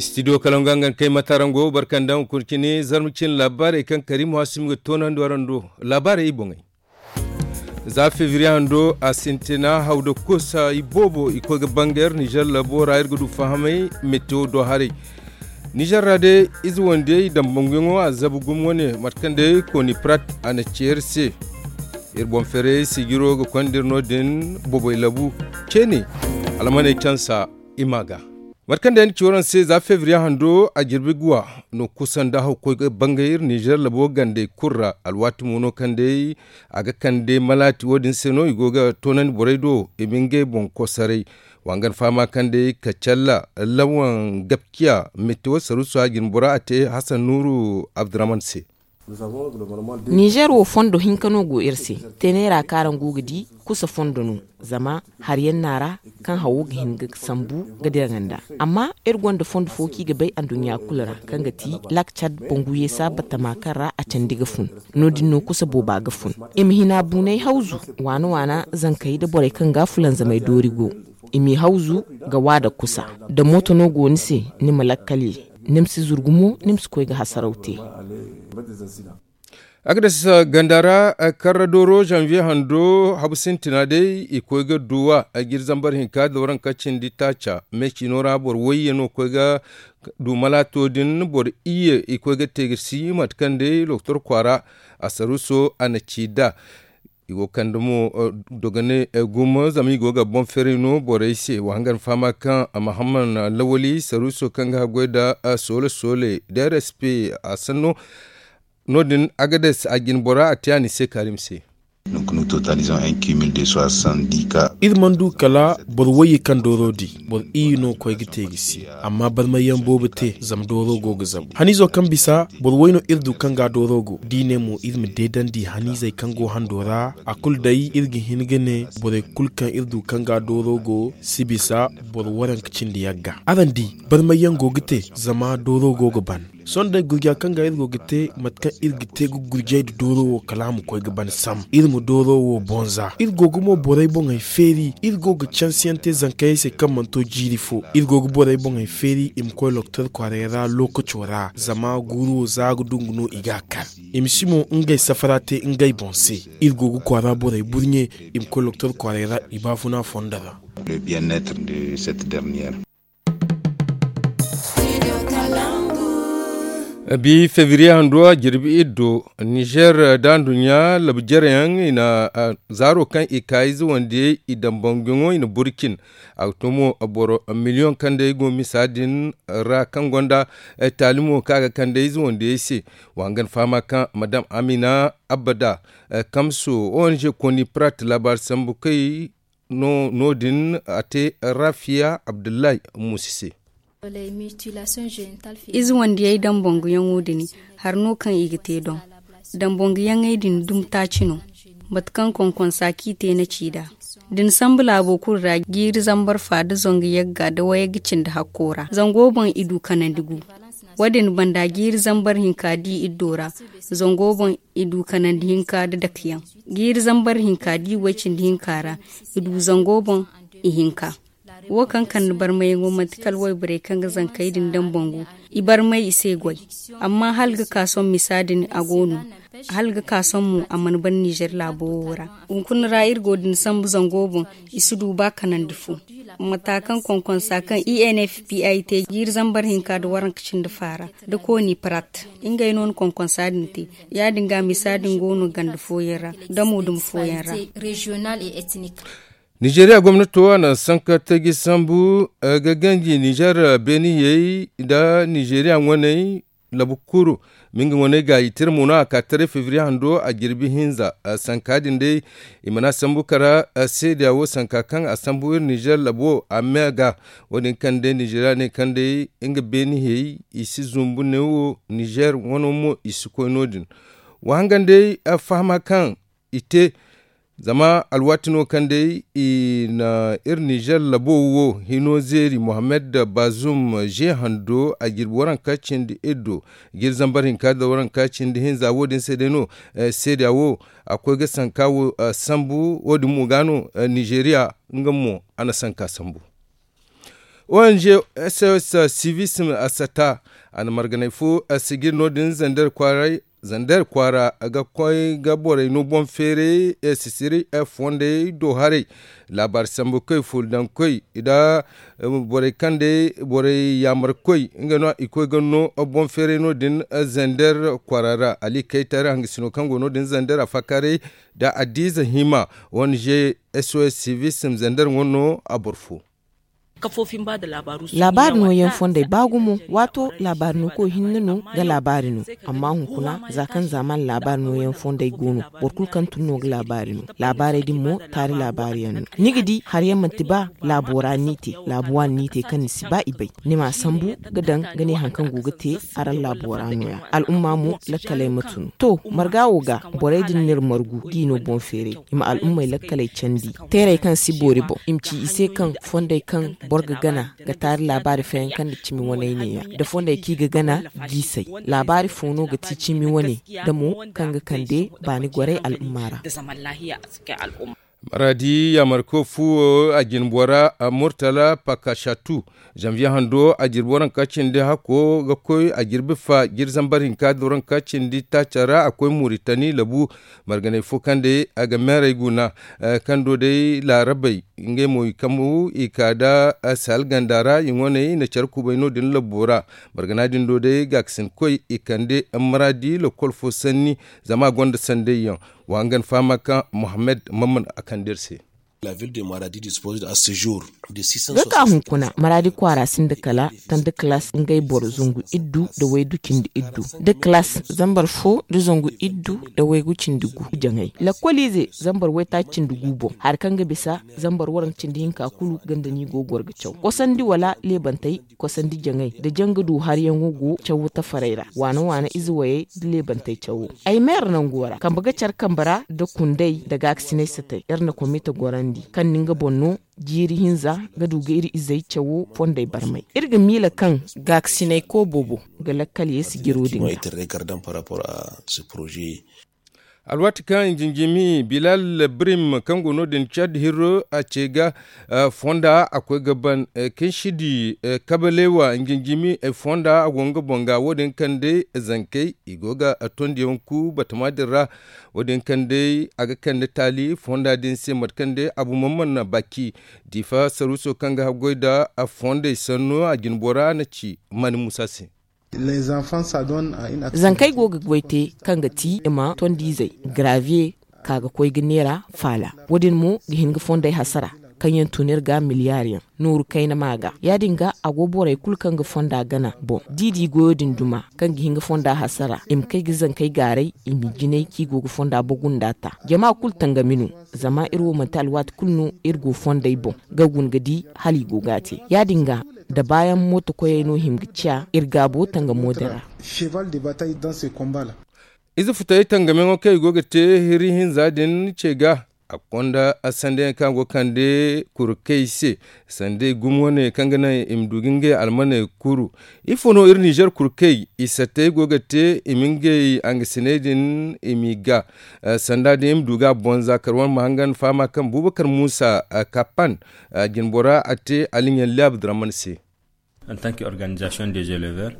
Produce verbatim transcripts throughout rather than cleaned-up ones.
Studio kalaŋ ga hangan kay matarango barkandaŋ kurcini zarma cin laabaarey kaŋ karimu hasumi ga toonandi warando. Laabaarey i boŋey. Za febriye hando a sintina haw da kusa i boobo i koy ga banga iri nizer labo ra iri ga du fahamay. Metewo do haray nizer ra day ize wandiyey dambanguyaŋo a zabu gumo wane mate kaŋ day koni prat a na ceeri se. Iri boŋ ferey sijiro ga konda iri no- din bobey labu ceene. Almaney cansa i ma ga. Mate kaŋ day ni ci waraŋ se za febriye hando a jirbi guwa no kusa nda hawkoy ga bangay iri nizer labo gandey kulu ra alwaati mo no kaŋ day a ga kande malaati wo- din se no i go ga toonandi borey do i ma ngey boŋ kosaray. Wa hangan fahama kaŋ day kacalla lawan gabciya metewo saruuso a jine bora a te hasan nuuru abdurahman se. Nizer wo fondo hinka no go iri se. Teneera kaŋ araŋ go ga di kusa fondo no. Zama hari yaŋ no a ra kaŋ hawo ga hin ga sambu ga dira ganda. Amma iri gonda fondo fo kaŋ i ga bay anduɲɲa kulu ra kaŋ ga ti lak cad bangu yeesa batama kaŋ ra a candi ga fun. No- din no kusa booba ga fun. I ma hina buunay hawzu waana waana zankey nda borey kaŋ ga fulanzamey doori go. I m'i hawzu ga waada kusa. Da mooto no go ni se ni ma lakkal ye. Ni ma si zuru gumo ni ma si koy ga hasaraw te. Agades ganda ra karra dooro zanviye hando habu sintina day i koy ga duwa. Jiri zambar hinka da waranka cindi taaca me ciino ra boro wayye no koy ga du malaato din boro iyye i koy ga te ga si mate kaŋ day lokotor kwaara. Asaruso a na ci nd'a. I go ga kande mo dogane gumo zama i go ga boŋ ferey no borey se wa hangan fahama kaŋ mahamman lawali saruso kaŋ ga haggoy nda soole soole da rsp a sanno. No- din agades a jine bora a te a ni se kaarim se. Iri mana du kala boro wayye kaŋ dooro di boro iyye no koy ga te ga si. Amma barmayyaŋ boobo te zama dooro go ga zabu haniizo kaŋ bisa boro way no iri du kaŋ ga dooro go da i ne mo iri ma deedandi haniizey kaŋ go hando ra. A kulu day iri ga hin ga ne borey kulu kaŋ iri du kaŋ ga dooro go si bisa boro waranka cindi yagga. Araŋ di barmayyaŋ go ga te zama dooro go ga ban. Sohõ day gurja kaŋ ga iri go ga te mate kaŋ iri ga te ga gurjay nda dooro wo kala a ma koy ga ban sam iri ma dooro wo boŋ za iri go ga mo borey boŋey feeri iri go ga cansiyaŋ te zankayey se kaŋ mana to jiiri fo iri go ga borey boŋey feeri i ma koy lokotor kwaaray ra lookaco ra zama guuru wo za ga dungu no i ga a kar. I ma si mo ngey safara te ngey boŋ se. Iri go ga kwaara borey burɲe i ma koy lokotor kwaaray ra i baafuna fondo ra. Bi febriye hando a jirbi iddo nizer da nduɲɲa labu jere yaŋ i na zaaro kaŋ i ka ize wandiyey i daŋ banguyaŋo i na burcin. A ga to mo boro miliyoŋ kaŋ day go misa din ra kaŋ gonda taalimo kaŋ a ga kande ize wandiyey se. Wa hangan fahama kaŋ madam amina abada kamso ong koni prat laabaari sambu kay no din a te rafiya abdullahi muusi se. Ize wandiyey daŋ banguyaŋo din hari no kaŋ i ga te doŋ. Daŋ banguyaŋey din dumi taaci no. Mate kaŋ konkonsa kaŋ i te na ci nd'a da ni sambu laabo kulu ra jiiri zambar fa da zangu yagga da wayagga cindi hakko ra zango boŋ i du kanandi gu. Wo- din banda jiiri zambar hinka da i iddo ra zango boŋ i du kanandi hinka da dakeyaŋ. Jiiri zambar hinka da i way cindi hinka ra i du zango boŋ ihinka. Wo kaŋ kande barmayaŋo manti kala wayborey kaŋ ga zankey din daŋ bangu. I barmay i se goy. Amma hala ga ka sohõ misa din a go no. Hala ga ka sohõ mo a mana ban nizer laabo wo ra. Hunkuna ra iri go din sambu zango boŋ i si du ba kanandi fo. Mata kaŋ konkonsa kaŋ i n f p i te jiiri zambar hinka da waranka cindi faara da kooni parat. Ngey no na konkonsa din te. Ya- din ga misa din go no ganda fooyaŋ ra damo dumi fooyaŋ ra. Nizeeriya gomnato a na sanka taji sambu ga ganji nizer beeniyey nda nizeeriya ŋwaney. Labu kuru ma nga ŋwaney gaayi tira mo no a ka taray febriye hando a jirbi hinza. Sanka din day i mana sambu kara seediya wo sanka kaŋ a sambu iri nizer labo a me ga. Wo- din kaŋ day nizeeriya ne kaŋ day nga beeniyey i si zumbu ne wo nizer ŋwano mo i si koy no- din. Wa hangan day fahama kaŋ i te. Zama alwaati no kaŋ day i na iri nizer labo wo hino zeeri mohammed bazum ze hando a jirbi waranka cindi iddo. Jiri zambar hinka da waranka cindi hinza wo- din se day no seediya wo a koy ga sanka wo sambu wo- din mo ga no nizeeriya nga mo a na sanka sambu. Ong sos civism a sata a na marganay fo a sijir no- din zander kwaara ga koy ga borey no boŋ feeray sisiri fondey do haray laabaari sambu koy ful daŋ koy nda borey kaŋ day borey yaamar koy nga no i koy ga no boŋ feeray no- din zander kwaara ra ali kaytar hangasino kaŋ go no- din zander a faakaaray nda addiiza hima ong sos civism zander ŋwa no a boro fo. Laabaari nooyaŋ fondey ba gumo waato laabaari no koy hinne no ga laabaari no. Amma hunkuna za kaŋ zaamaana laabaari nooyaŋ fondey go no boro kulu kaŋ tun no ga laabaari no. Laabaarey din mo taari laabaari yaŋ no. Ni ga di hari yaŋ manti ba laabo ra ni te laabo waani ni te kaŋ ni si ba i bay. Ni m'a sambu ga daŋ ga ne hari kaŋ go ga te araŋ laabo ra nooya al'umma mo lakkaley ma tun to marga wo ga borey din n'iri margu g'i no boŋ feeray i ma al'ummey lakkaley candi. Teerey kaŋ si boori boŋ i ma ci i se kaŋ fondey kaŋ boro ga gana ga taari laabaari fayanka nda cimi waney neeya da fondey kaŋ i ga gana jiisey. Laabaari fo no ga ti cimi wane da mo kaŋ ga kande baani gorey al'umma ra. Maradi yaamarko fu wo a jine bora murtala pakashatu zanviye hando a jirbi waranka cindi hakko ga koy a jirbi fa jiri zambar hinka da waranka cindi taaca ra a koy muritani labu marganay fo kaŋ day a ga meerey guna kaŋ do day laarabey ngey mo i kambu i ka da sahel ganda ra i ŋwaney i na care kubay no- din labbo ra. Margana din do day gaakasin koy i kande maradi lokol fo sanni zama a gonda sanday yaŋ. Wa hangan fahama kaŋ mohammed mamman a kande iri se. Ga ka hunkuna maradi kwaara sinda kala tanda kalaas ngey boro zangu iddu nda waydu cindi iddu nda kalaas zambar fo nda zangu iddu nda waygu cindi gu jaŋay lakkoliize zambar waytaaci cindi gu boŋ hari kaŋ ga bisa zambar waranka cindi hinka kulu ganda no i go ga goro ga caw kosandi wala leebantey kosandi jaŋay nda jaŋ ga du hariyaŋo go cawo tafarey ra waana waana ize wayey nda leebantey cawo. Ay meera nango ra kambe ga care kambe ra nda kundey nda gaakasinay satay iri na komite gorandi kaŋ ni nga boŋ no jiiri hinza ga du ga iri izey cawo fondey barmay. Iri ga miila kaŋ gaakasinay koo boobo ga lakkal ye sijiro din ga. Alwaati kaŋ injinjimi bilal brim kaŋ go no- din cad hirro a ce ga fonda a koy ga ban kaŋ si di kabaleewa injinjimi fonda a go nga boŋ ga wo- din kaŋ day zankey i go ga tondiyaŋ ku batama din ra. Wo- din kaŋ day a ga kande taali fonda din se mate kaŋ day abu mamman na baki diifa saruuso kaŋ ga haggoy nda fondey sanno a jinbora na ci mani muusa se. Zankey go ga goy te kaŋ ga ti i ma tondiizey gravier ka ga koy ga neera faala. Wo- din mo ga hin ga fondey hasara kaŋ yaŋ tun iri ga miliyaari yaŋ nooru kayna ma ga ya- din ga a go borey kulu kaŋ ga fonda gana boŋ da i di goyo din duma kaŋ ga hin ga fonda hasara i ma kay ga zankey gaaray i m'i jinay kaŋ i go ga fonda bogu nda ta jama kulu tangami no. Zama iri wo manti alwaati kulu no iri go fondey boŋ ga guna ga di hala i go ga a te ya- din ga da baayaŋ mooto koyey no hima ga ciya iri gaabo tangamo din ra. Ize futay tangamiyaŋo kaŋ i go ga te hiri hinza din ce ga a ga konda sanday yaŋ kaŋ a go ga kande kurkey se sanday gumo wane kaŋ ga naŋ i ma du ga ngey almaney kuru. Ifo no iri nizer kurkey i sattey go ga te i ma ngey hangasiney din i m'i ga sanda din i ma du ga a boŋ za kar wane ma hangan fahama kaŋ bubakar muusa kapan jinbora a te aliɲaŋ laabu diraman se.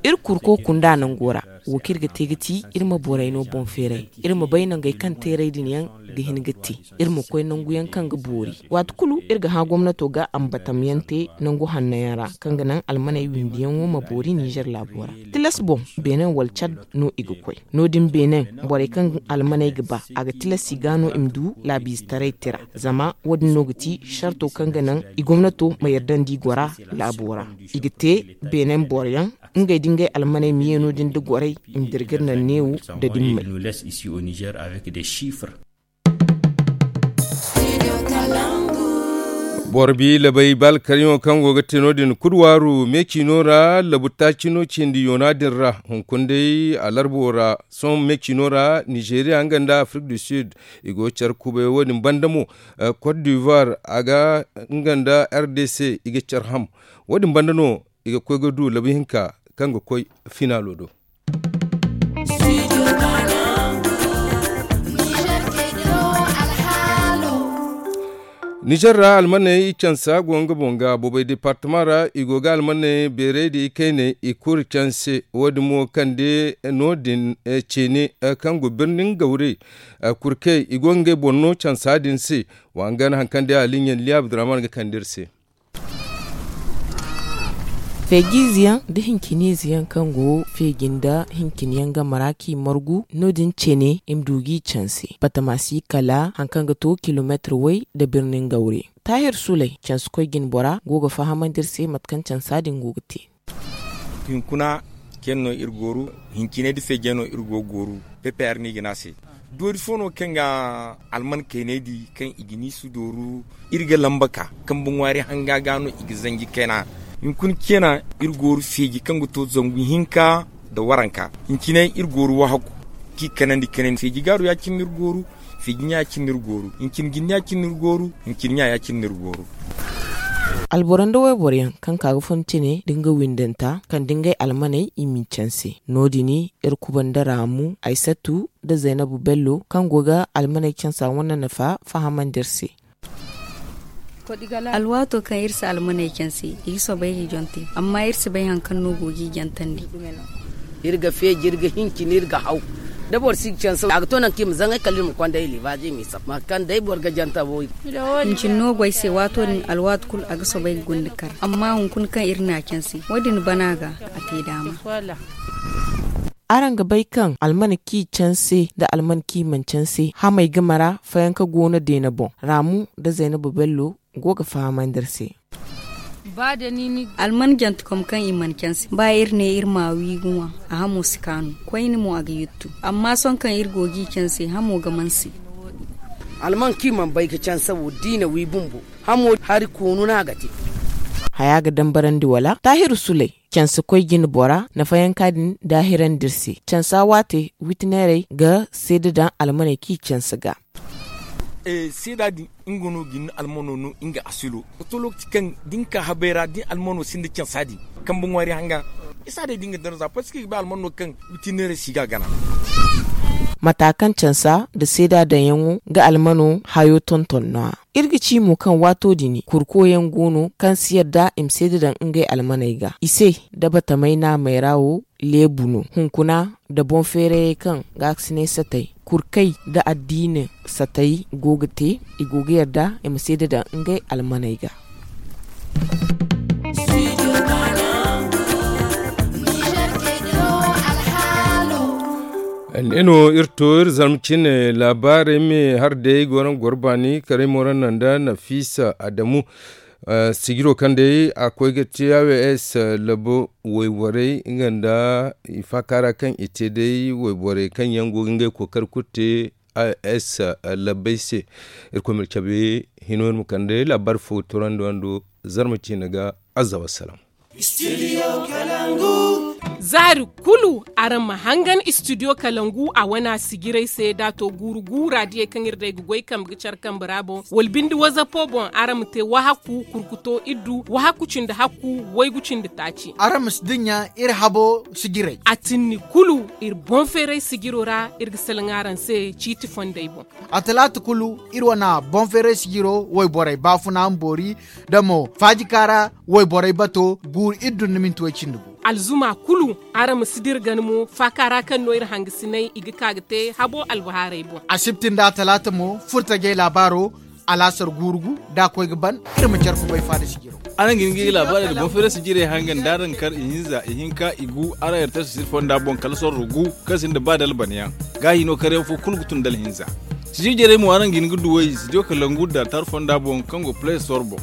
Iri kurko kunda nango ra wo kaŋ iri ga te ga ti iri ma borey no boŋ feeray iri ma bay nangey kaŋ teeray din yaŋ ga hin ga te iri ma koy nangu yaŋ kaŋ ga boori. Waati kulu iri ga hã gomnato ga ambatam yaŋ te nangu hanno yaŋ ra kaŋ ga naŋ almaney windiyaŋo ma boori nizer laabo ra. Tilas boŋ benin wala cad no i ga koy no- din benin borey kaŋ almaney ga ba a ga tilas i ga no i ma du laabiizetaray tira. Zama wo- din no ga ti sarto kaŋ ga naŋ i gomnato ma yardandi gora laabo ra. I ga te benin boro yaŋ ngey da ngey almaney ma ye no- din da gorey i ma dira ga iri naŋ neewo da dimmey. Boro bi labay ba alkaryaŋo kaŋ go ga te no- din kudwaaru me ciino ra labu taaci no cindi yoona din ra hunkuna day alarbo ra sohõ me ciino ra nizeriya nga nda afrik du sud i go ga care kubay wo- din banda mo cote d'ivoire a ga nga nda r d c i ga care ham. Wo- din banda no i ga koy ga du labu hinka kaŋ ga koy finaalo do. Nizer ra almaney i cansa go nga boŋ ga boobay departama ra i go ga almaney beerey da i kayney i kuri canse. Wo- din mo kande no- din ceene kaŋ go birnin gawre kurkey i go ga ngey boŋ no cansa din se. Wa hangan hari kaŋ day aliɲa liya abdurrahman ga kande iri se. Feeji ize yaŋ nda hincine ize yaŋ kaŋ go feeji nda hincine yaŋ game ra kaŋ i margu no- din ceene i ma du ga i canse batama si kala hari kaŋ ga to kilomeetir way nda birnin gawre. Taahir suley canse koy jine bora go ga fahamandi iri se mate kaŋ cansa din go ga te. Hinkuna ceene no iri gooru. Hincine nda feejey no iri go ga gooru. Pepe hari no i ga ne a se. Doori fo no kaŋ ga alman kayney di kaŋ i ga ni si dooru. Iri ga lamba ka kambe ŋwaari hanga ga no i ga zanji kayna. Hinkuna ceena iri gooru feeji kaŋ ga to zangu hinka nda waranka. Hincine iri gooru wahaku kaŋ i kanandi kanandi feeji gaaru ya- cine no iri gooru. Feeji ɲa ya- cine no iri gooru. Hincine jinne ya- cine no iri gooru. Hincine ɲa ya- cine no iri gooru. Alboro nda wayboro yaŋ kaŋ ka ga fun cine nda nga windanta kaŋ da ngey almaney i m'i canse. No- din iri kuba nda raamu aysatu nda zaynabu bello kaŋ go ga almaney cansa wane nafa fahamandi iri se. Alwaato kaŋ iri si almaney canse i ga soobay ga jonte amma iri si bay hari kaŋ no go ga i jantandi. Iri ga feeji iri ga hincin iri ga haw da boro si ga canse a ga to nangu kaŋ i ma zaŋay kala iri ma konda i libaaji i ma i sab mate kaŋ day boro ga janta wo. Hincin no go ay se waato din alwaati kulu a ga soobay ga gunda kar amma hunkuna kaŋ iri n'a canse wo- din bana ga a te daama. Araŋ ga bay kaŋ almana kaŋ i canse nda almana kaŋ i mana canse hamey game ra fayanka go no deena boŋ raamu nda zaynabu bello go ga fahamandi iri se. Alman jantekom kaŋ i mana canse ba iri ne iri ma wi ga ŋwa a hamo si kaanu koyne mo a ga yuttu amma sohõ kaŋ iri go ga i canse hamo ga manse. Alman kaŋ i mana bay ga canse wo da i na wi bumbo hamo hari koonu no a ga te. Haya ga dambarandi wala taahiru suley canse koy jine bora nafayanka din daahirandi iri se cansa waate witineerey ga seeda daŋ almaney kaŋ i canse ga. Seeda din nga no ga ni almano no nga asilo. Wato lokaci kaŋ da ni ka habay ra da ni almano sinda cansa din kambe ŋwaari hanga isa day da nga darza parceque i ga bay almano kaŋ witineerey si ga a gana. Mata kaŋ cansa nda seeda daŋyaŋo ga almano hayo tonton no- ya. Iri ga ci mo kaŋ waato din kurko yaŋ go no kaŋ si yadda i ma seeda daŋ ngey almaney ga i se. Da batamay naamey ra wo leebu no hunkuna nda boŋ feerayey kaŋ ga a ga si ne satay kurkey nda addiina satay go ga te i go ga yadda i ma seeda daŋ ngey almaney ga. Ne no iri to iri zarma cine laabaarey me hari day go no ga goro baani karay moranna nda nafiisa adamu. Sijiro kaŋ day a koy ga te a w s labo wayborey nga nda i faaka ra kaŋ i te day wayborey kaŋ yaŋ go ga ngey kookari kulu te a w s labbey se. Iri koy ma iri cabe hino iri ma kande laabaari fo ga torandi wando zarma ciine ga. Azza wassalam. Zaari kulu araŋ ma hangan istidiyo kalangu a wana sijiray se da a to guuru guura diyey kaŋ iri day ga goy kambe ga care kambe ra boŋ wala binde wazapo boŋ araŋ ma te wahaku kurkuto iddu wahaku cindi hakku waygu cindi taaci. Araŋ ma si dinya iri habo sijiray a tinni kulu. Iri boŋ feeray sijiro ra iri ga salaŋ araŋ se ciiti fondey boŋ. A talaata kulu iri wane boŋ feeray sijiro wayborey baafuna ma boori da mo faajika ra wayborey bato guuru iddu nda minti way cindi gu. Alzuma kulu araŋ ma si dira gana mo faaka ra kaŋ no iri hangasinay i ga ka ga te habo albahaarey boŋ. Asibti nda atalaata mo furtajey laabaaro alaasar guuru gu da a koy ga ban. Iri ma care kubay faada sijiro. Araŋ ga hin ga i laabaarey nda boŋ feeray sijirey hangan da araŋ kar ihinza ihinka igu araŋ iri tara sijir fonda boŋ kala sorro gu kaŋ sinda ba dalban yaŋ. Ga hino kar yaŋ fo kulu ga tun da alhinza. Sijir jarey mo araŋ ga hin ga duw'ey studio kalangu da tar fonda boŋ kaŋ go play store boŋ.